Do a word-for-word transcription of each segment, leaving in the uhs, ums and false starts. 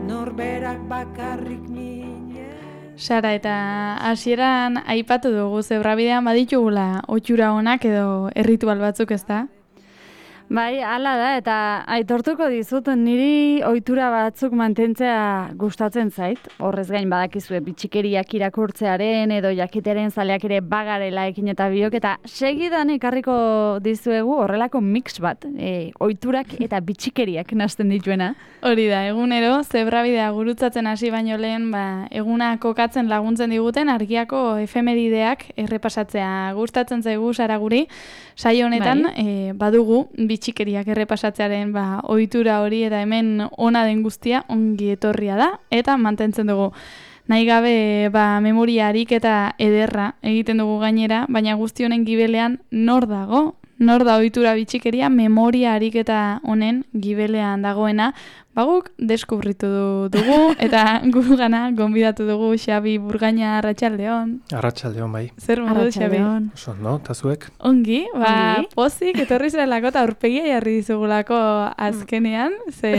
norberak bakarrik minen. Sara, eta hasieran aipatu dugu zebrabidean baditugula ohitura onak edo erritual batzuk, ezta? Bai, hala da, eta aitortuko dizut niri ohitura batzuk mantentzea gustatzen zait. Horrez gain badakizue bitxikeriak irakurtzearen edo jakitearen zaleak ere bagarela ekin eta biok, eta segidan ekarriko dizuegu horrelako mix bat, e, ohiturak eta bitxikeriak nahasten dituena. Hori da, egunero zebrabidea gurutzatzen hasi baino lehen, ba, eguna kokatzen laguntzen diguten argiako efemerideak errepasatzea gustatzen zaigu Sara guri. Saio honetan Bai. e, badugu bitxikeriak errepasatzearen ba, ohitura hori, eta hemen ona den guztia ongi etorria da, eta mantentzen dugu. Nahi gabe ba, memoria ariketa ederra egiten dugu gainera, baina guzti honen gibelean nor dago? Nor da ohitura bitxikeria memoria ariketa honen gibelean dagoena? Baguk deskubritu dugu, eta gu gana gonbidatu dugu Xabi Burgaina. Arratsaldeon. Arratsaldeon, bai. Zer modu, Xabi? Oso, no? Ta zuek? Ongi, ba, Ongi. pozik, etorri zelako eta aurpegia jarri dizugulako azkenean, ze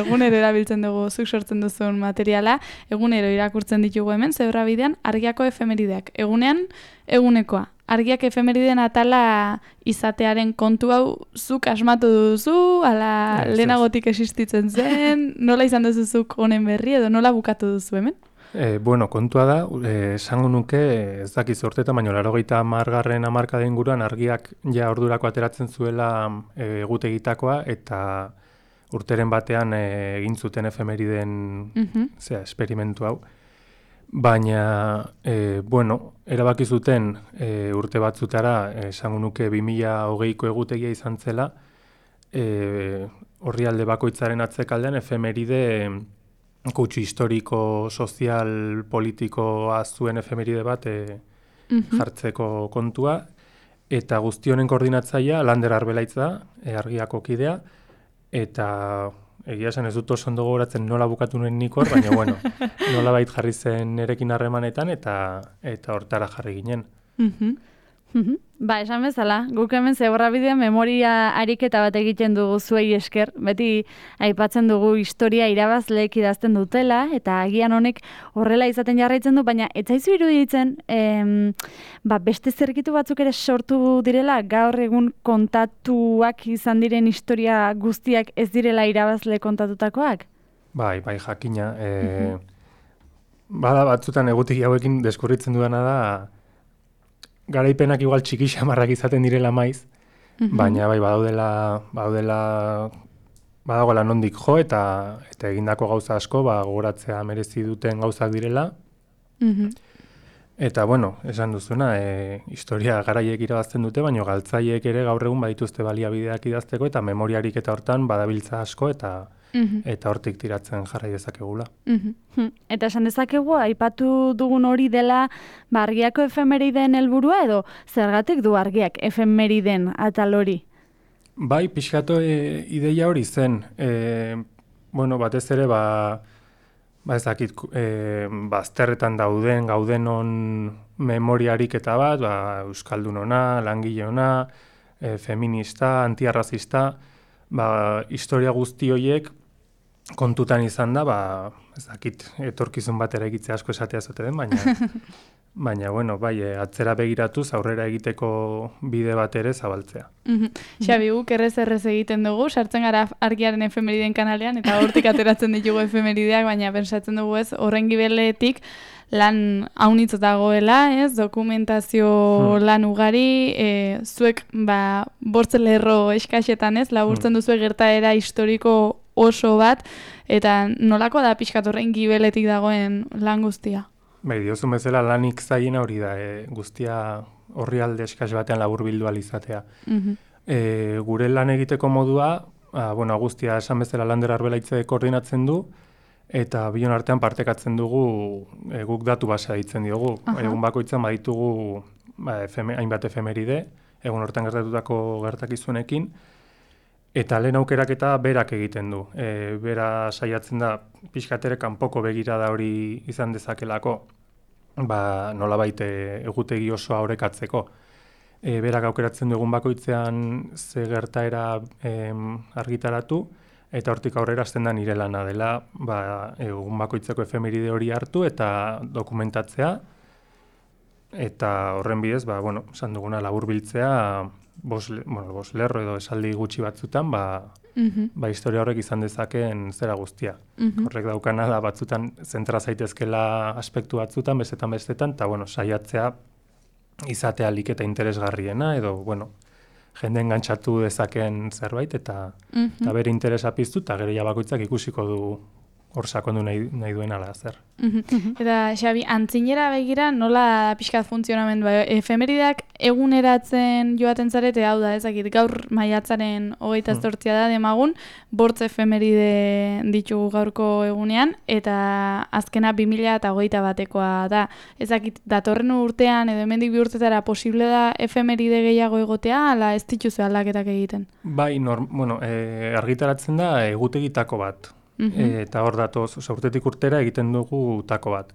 egunero erabiltzen dugu zuk sortzen duzun materiala, egunero irakurtzen ditugu hemen, zebrabidean argiako efemerideak. Egunean, egunekoa. Argiak efemeriden atala izatearen kontu hau zuk asmatu duzu, ala Ez, ez. lehenagotik existitzen zen, nola izan duzu zuk honen berri edo nola bukatu duzu hemen? E, bueno, kontua da, eh, esango nuke, ez dakiz urtetan, baina laurogeita hamargarren hamarkada inguruan argiak ja ordurako ateratzen zuela e, egutegitakoa, eta urteren batean eh, egin zuten efemeriden Mhm. zera, esperimentu hau. Baina, e, bueno, erabaki zuten e, urte batzutara, eh, esango nuke bi mila hogeiko egutegia izan zela, e, orrialde bakoitzaren atzekaldean efemeride kutsu historiko, sozial, politikoa zuen efemeride bat e, Mhm. jartzeko kontua, eta guzti honen koordinatzailea Lander Arbelaitz da, e, argiako kidea, eta egia esan ez dut oso ondo gogoratzen nola bukatu nuen nik hor, baina bueno, nola bait jarri zen nerekin harremanetan, eta eta hortara jarri ginen. Mhm. Mhm. Ba, esan bezala, guk hemen zebrabidean memoria ariketa bat egiten dugu zuei esker, beti aipatzen dugu historia irabazleek idazten dutela, eta agian honek horrela izaten jarraitzen du, baina ez zaizu iruditzen, em, ba, beste zergitu batzuk ere sortu direla, gaur egun kontatuak izan diren historia guztiak ez direla irabazle kontatutakoak? Bai, bai, jakina. E, bada batzutan egutegi hauekin deskurritzen dudana da, garaipenak igual txiki xamarrak izaten direla maiz, Mhm. baina bai badaudela, badaudela, badagoela nondik jo, eta eta egindako gauza asko, ba, gogoratzea merezi duten gauzak direla. Mhm. Eta, bueno, esan duzuna, e, historia garaiek irabazten dute, baina galtzaiek ere gaur egun badituzte baliabideak idazteko, eta memoriarik eta hortan badabiltza asko, eta Mhm. eta hortik tiratzen jarrai dezakegula. Mhm. Hm, Eta esan dezakegu, aipatu dugun hori dela ba, argiako efemeriden helburua edo zergatik du argiak efemeriden atal hori? Bai, pixkatu e, ideia hori zen. E, bueno, batez ere, ba, ba ez dakit, e, bazterretan dauden, gaudenon memoriarik eta bat, ba, euskaldun ona, langile ona, e, feminista, antiarrazista, ba, historia guzti horiek kontutan izan da, ba, ez dakit, etorkizun bat eraikitzea asko esatea zote den, baina, baina, bueno, bai, e, atzera begiratuz aurrera egiteko bide bat ere zabaltzea. Mhm. Xabi, guk errez errez egiten dugu, sartzen gara argiaren efemeriden kanalean, eta hortik ateratzen ditugu efemerideak, baina pensatzen dugu ez, horren gibeletik lan haunitz dagoela, ez, dokumentazio Hmm. lan ugari, e, zuek, ba, bortze lerro eskaxetan, ez, laburtzen duzu gertaera historiko oso bat, eta nolako da pixkat horren gibeletik dagoen lan guztia? Bai, diozun bezala lanik zailena hori da, e, guztia orrialde eskas batean laburbildu ahal izatea. Mhm. E, gure lan egiteko modua, a, bueno, guztia esan bezala Lander Arbelaitze koordinatzen du, eta bion artean partekatzen dugu, e, guk datu basea ditzen diogu. Aha. Egun bakoitzan baditugu ba, efeme, hainbat efemeride, egun hortan gertatutako gertakizunekin, eta lehen aukeraketa berak egiten du. E, bera saiatzen da, pixkatere kanpoko begirada hori izan dezakelako, ba, nolabait e, egutegi osoa orekatzeko. E, berak aukeratzen dugun bakoitzean ze gertaera em, argitaratu, eta hortik aurrera hasten da nire lana dela, ba, egun bakoitzeko efemeride hori hartu eta dokumentatzea, eta horren bidez, ba, bueno, esan duguna laburbiltzea, bos, bueno, bos lerro edo esaldi gutxi batzutan, ba, Mhm. ba historia horrek izan dezakeen zera guztia. Mhm. Horrek daukana da batzutan zentra zaitezkela aspektu batzutan, bestetan bestetan, eta bueno, saiatzea izatea alik eta interesgarriena, edo, bueno, jende engantzatu dezakeen zerbait, eta, Mhm. eta bere interesa piztu, eta gero ja bakoitzak ikusiko du hor sakondu nahi, nahi duen ala zer. Mhm. Eta Xabi, antzinera begira nola pixkat funtzionamendua? Efemerideak eguneratzen joaten zarete, hau da, ezakit, gaur maiatzaren hogeita Hmm. zortzia da demagun, bortz efemeride ditugu gaurko egunean, eta azkena bi mila eta hogeita batekoa da. Ezakit, datorren urtean edo hemendik bi urtetara posible da efemeride gehiago egotea, ala ez dituzu aldaketak egiten? Bai, norm, bueno, e, argitaratzen da egutegitako bat. Mhm. E, eta hor datoz, oza, urtetik urtera egiten dugu tako bat.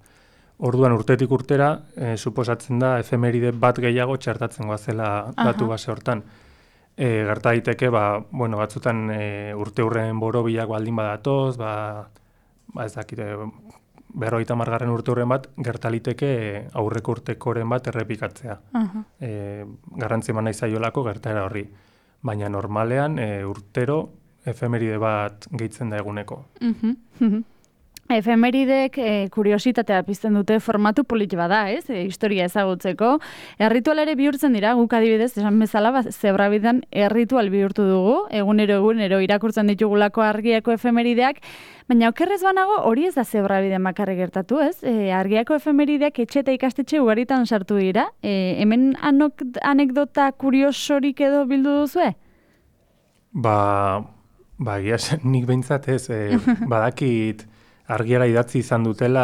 Orduan urtetik urtera, e, suposatzen da efemeride bat gehiago txertatzen goazela datu Aha. base hortan. E, gerta daiteke, ba, bueno, batzutan e, urte hurren borobilak baldin badatoz, ba, ba ez dakite, berrogeita hamargarren urte hurren bat, gertaliteke aurreko urtekoren bat errepikatzea. Aha. E, garrantzi eman nahi zaiolako gertaera horri. Baina normalean e, urtero efemeride bat gehitzen da eguneko. Mhm. Efemeridek e, kuriositatea pizten dute formatu polit bada, ez? E, historia ezagutzeko. Erritual ere bihurtzen dira, guk adibidez, esan bezala, ba, zebrabidan erritual bihurtu dugu, egunero egunero irakurtzen ditugulako argiako efemerideak, baina okerrez banago hori ez da zebrabiden bakarrik gertatu, ez? E, argiako efemerideak etxe eta ikastetxe ugaritan sartu dira. E, hemen anok, anekdota kuriosorik edo bildu duzue? Ba, ba egia esan, nik behintzat ez, e, badakit argiara idatzi izan dutela,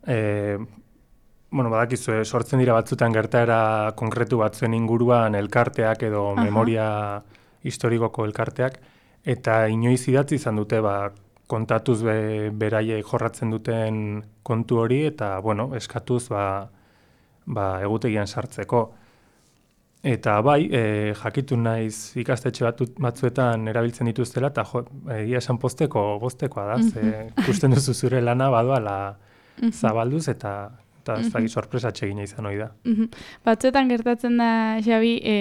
e, bueno, badakizu, e, sortzen dira batzutan gertaera konkretu batzuen inguruan elkarteak edo Aha. memoria historikoko elkarteak, eta inoiz idatzi izan dute, ba, kontatuz be, beraiek jorratzen duten kontu hori, eta, bueno, eskatuz, ba, ba, egutegian sartzeko. Eta bai, e, jakitu naiz ikastetxe batu, batzuetan erabiltzen dituztela, eta jo, egia esan posteko, boztekoa da, ze ikusten duzu zure lana badoala zabalduz, eta, eta ez dakit sorpresatxe egina izan hori da. Mhm. Batzuetan gertatzen da, Xabi, e,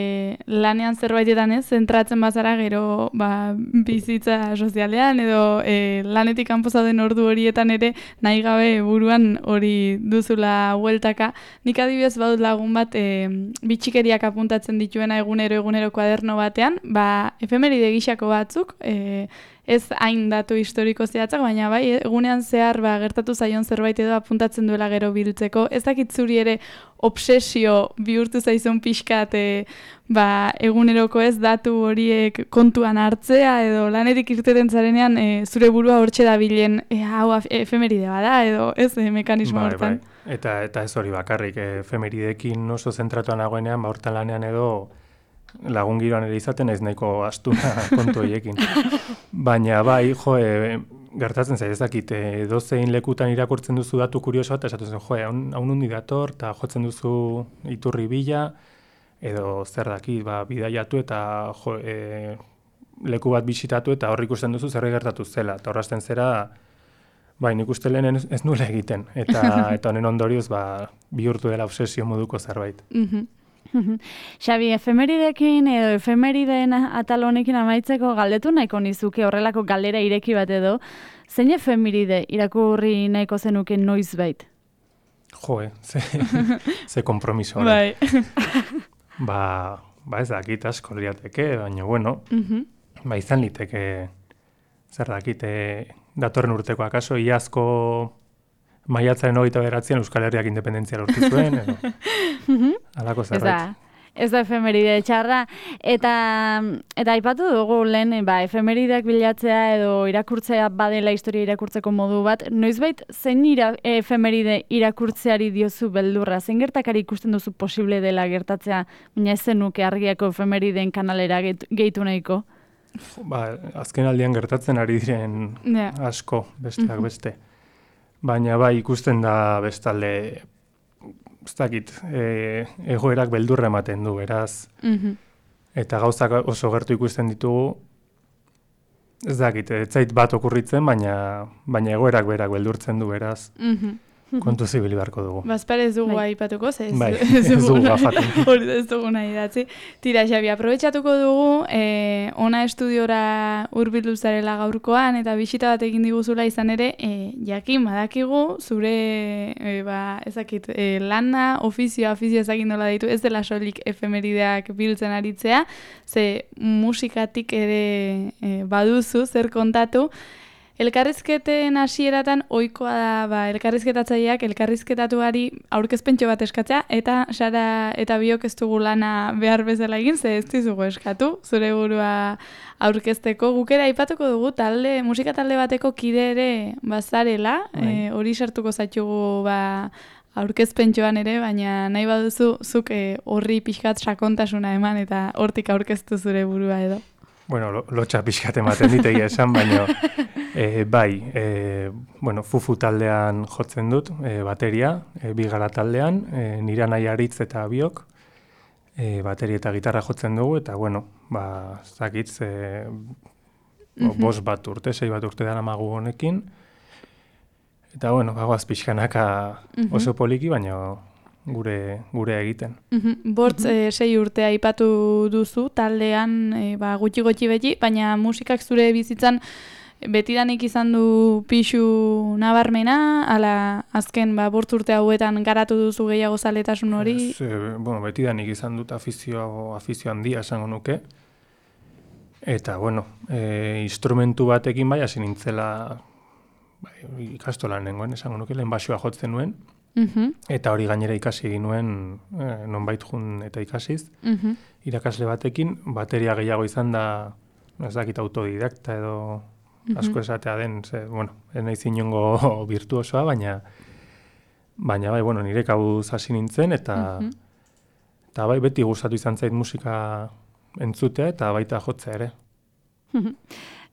lanean zerbaitetan ez, zentratzen bazara gero ba, bizitza sozialean edo e, lanetik kanpo zauden ordu horietan ere nahi gabe buruan hori duzula hueltaka. Nik adibidez badut lagun bat e, bitxikeriak apuntatzen dituena egunero egunero kuaderno batean, ba, efemeride gixako batzuk, e, ez hain datu historiko zehatzak, baina bai, egunean zehar ba, gertatu zaion zerbait edo apuntatzen duela gero biltzeko. Ez dakit zuri ere obsesio bihurtu zaizun pixkat e, ba, eguneroko ez datu horiek kontuan hartzea edo lanetik irteten zarenean e, zure burua hortxe dabilen e, hau efemeride bada edo ez e, mekanismo Bai, hortan. bai. Eta, eta ez hori bakarrik, e, efemeridekin oso zentratuan nagoenean, ba, hortan lanean edo lagun giroan ere izaten ez nahiko astuna kontu horiekin. Baina bai, jo, e, gertatzen zaiz dakit, e, dozein lekutan irakurtzen duzu datu kurioso eta esaten zen, jo, hau nundi dator, eta jotzen duzu iturri bila, edo zer dakit, ba, bidaiatu eta jo, e, leku bat bisitatu eta hor ikusten duzu zer gertatu zela. Eta horrazten zera, bai, nik uste lehen ez, ez nuela egiten. Eta, eta honen ondorioz, ba, bihurtu dela obsesio moduko zerbait. Mhm. Xabi, efemeridekin edo efemerideen atal honekin amaitzeko galdetu nahiko nizuke horrelako galdera ireki bat edo, zein efemeride irakurri nahiko zenuke noizbait? Jo, eh, ze, ze kompromiso hori. Bai. Ba, ba ez dakit asko liateke, baina bueno, Mhm. ba izan liteke, zer dakite, datorren urteko akaso, iazko maiatzaren hogeita bederatzian Euskal Herriak independentzia lortu zuen, edo, halako Ez zerbait. da, ez da efemeride txarra. Eta, eta aipatu dugu lehen, ba, efemerideak bilatzea edo irakurtzea badela historia irakurtzeko modu bat. Noizbait, zein ira, efemeride irakurtzeari diozu beldurra? Zein gertakari ikusten duzu posible dela gertatzea, baina ez zenuke argiako efemerideen kanalera gehitu nahiko? Ba, azken aldian gertatzen ari diren Ja. asko, besteak beste. Baina bai ikusten da bestalde, ez dakit, e, egoerak beldurra ematen du, beraz, Mhm. eta gauzak oso gertu ikusten ditugu, ez dakit, ez zait bat okurritzen, baina, baina egoerak berak beldurtzen du beraz. Mhm. Kontu zibili beharko dugu. Bazpare ez dugu Bai. aipatuko, ze ez, Bai, ez ez dugu dugu gafatu. hori ez dugu nahi idatzi. Tira, Xabi, aprobetxatuko dugu, eh, ona estudiora hurbildu zarela gaurkoan, eta bisita bat egin diguzula izan ere, eh, jakin badakigu, zure, eh, ba, ezakit, eh, lana, ofizioa, ofizioa ezakin nola ditu, ez dela soilik efemerideak biltzen aritzea, ze musikatik ere eh, baduzu, zer kontatu. Elkarrizketen hasieratan ohikoa da, ba, elkarrizketatzaileak elkarrizketatuari aurkezpentxo bat eskatzea, eta Sara eta biok ez dugu lana behar bezala egin, ze ez dizugu eskatu, zure burua aurkezteko. Gukera aipatuko dugu talde, musika talde bateko kide ere bazarela, Bai. e, hori sartuko zaitugu ba, aurkezpentxoan ere, baina nahi baduzu zuk e, horri pixkat sakontasuna eman eta hortik aurkeztu zure burua edo. Bueno, lo, lotxa pixkat ematen ditegia esan, baina e, bai, e, bueno, fufu taldean jotzen dut, e, bateria, e, bigara taldean, e, nire nahi aritz eta biok, e, bateria eta gitarra jotzen dugu, eta bueno, ba, zakitz, e, bo, bost bat urte, sei bat urte dara magu honekin, eta bueno, bagoaz pixkanaka oso poliki, baina gure gure egiten. Mhm. Bortz eh, sei urte aipatu duzu taldean eh, ba, gutxi gutxi beti, baina musikak zure bizitzan betidanik izan du pixu nabarmena, ala azken ba, bortz urte hauetan garatu duzu gehiago zaletasun hori? Ez, e, bueno, betidanik izan dut afizio, afizio handia esango nuke. Eta, bueno, e, instrumentu batekin bai hasi nintzela bai, ikastolan nengoen, esango nuke, lehen basua jotzen nuen. Mhm. Eta hori gainera ikasi egin nuen, eh, nonbait jun eta ikasiz. Mhm. Irakasle batekin, bateria gehiago izan da, ez dakit autodidakta edo asko esatea den, ze, bueno, ez naiz inongo virtuosoa, baina, baina bai, bueno, nire kabuz hasi nintzen, eta, eta bai, beti gustatu izan zait musika entzutea, eta baita jotzea ere.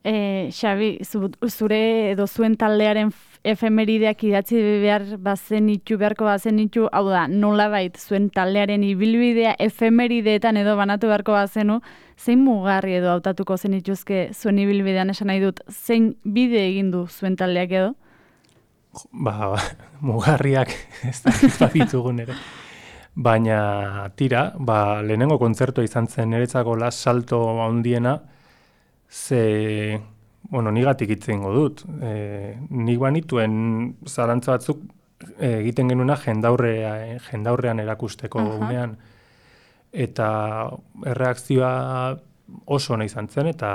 E, Xabi, zu, zure edo zuen taldearen efemerideak idatzi behar bazen itxu, beharko bazen itxu, hau da, nolabait zuen taldearen ibilbidea efemerideetan edo banatu beharko bazenu, zein mugarri edo hautatuko zen ituzke zuen ibilbidean esan nahi dut, zein bide egin du zuen taldeak edo? Ba, mugarriak ez da ditugun ere. Baina tira, ba, lehenengo kontzertua izan zen niretzako las salto handiena, ze, bueno, nigatik hitz egingo dut. E, nik banituen zalantza batzuk e, egiten genuena jendaurrea, jendaurrean erakusteko unean. Eta erreakzioa oso ona izan zen, eta,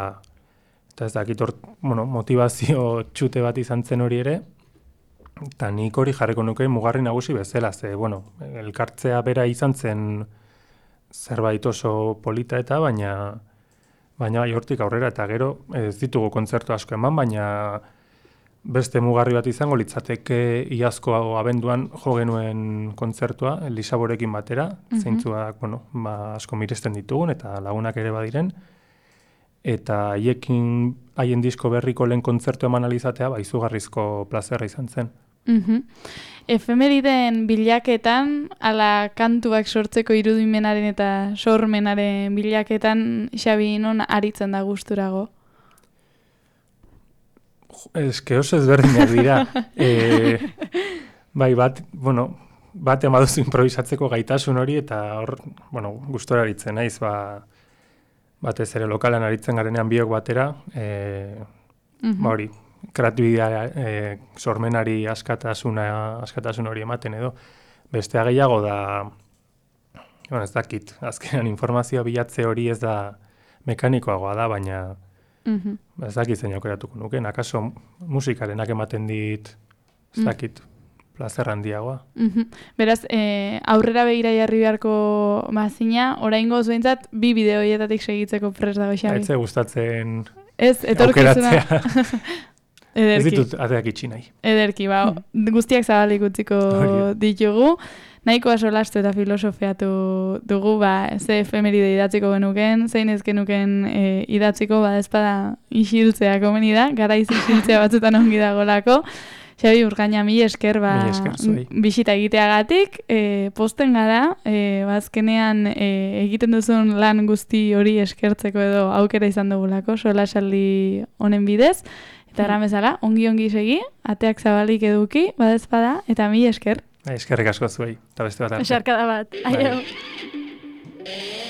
eta ez dakit hor, bueno, motivazio txute bat izan zen hori ere, eta nik hori jarriko nuke mugarri nagusi bezala, ze, bueno, elkartzea bera izan zen zerbait oso polita eta, baina baina bai hortik aurrera, eta gero ez ditugu kontzertu asko eman, baina beste mugarri bat izango litzateke iazko abenduan jo genuen kontzertua, Lisaborekin batera, mm-hmm. zeintzuak, bueno, ba, asko miresten ditugun, eta lagunak ere badiren, eta haiekin haien disko berriko lehen kontzertu eman alizatea, ba, izugarrizko plazerra izan zen. Mhm. Efemeriden bilaketan, ala kantuak sortzeko irudimenaren eta sormenaren bilaketan, Xabi, non aritzen da gusturago? Ez que oso ezberdinak dira. e, bai, bat, bueno, bat emaduzu improvisatzeko gaitasun hori, eta hor, bueno, gustora aritzen naiz, ba, batez ere lokalan aritzen garenean biok batera, e, mm-hmm. ba hori, kreatibidea e, sormenari askatasuna, askatasun hori ematen edo. Bestea gehiago da, bueno, ez dakit, azkenan informazioa bilatze hori ez da mekanikoagoa da, baina mm-hmm. ez dakit zein aukeratuko nuke, akaso musikarenak ematen dit, ez dakit, plazer handiagoa. Mm-hmm. Beraz, e, aurrera begira jarri beharko mazina, oraingo zuentzat bi bideo hietatik segitzeko prest dago, Xabi. Aitze gustatzen ez, etorkizuna. Ederki. Ez ditut ateak itxi nahi. Ederki, ba, guztiak zabalik utziko ditugu. Nahikoa solastu eta filosofeatu dugu, ba, ze efemeride idatziko genuken, zein ez genuken e, idatziko, ba, ezpada isiltzea komeni da, garaiz isiltzea batzutan ongi dagolako. Xabi Urgaina, mi esker, ba, Mila esker zuei. bisita egiteagatik, e, posten gara, e, bazkenean e, egiten duzun lan guzti hori eskertzeko edo aukera izan dugulako, solasaldi honen bidez, eta erran bezala, ongi-ongi segi, ateak zabalik eduki, badezpada, eta mi esker. Eskerrik asko zuei, eta beste bat arte. Esarkada bat. Aio. Bai.